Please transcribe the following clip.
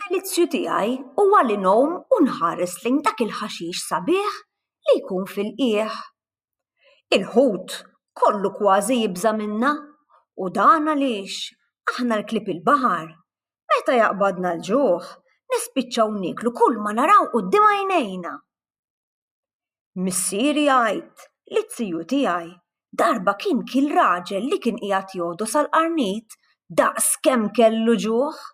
Id-delizzju tiegħi huwa li ngħum u nħares lejn dak il-ħaxix sabiħ li jkun fil-qiegħ. Il-ħut kollu kważi jibża' minna u dan għaliex aħna l-klieb il-baħar meta jaqbadna l-ġuħ nispiċċaw nieklu kull ma naraw quddiem għajnejna. Missieri jgħid li z-ziju tiegħi darba kien kiel raġel li kien qiegħed jogħdos għall-qarnit daqs kemm kellu ġuħ.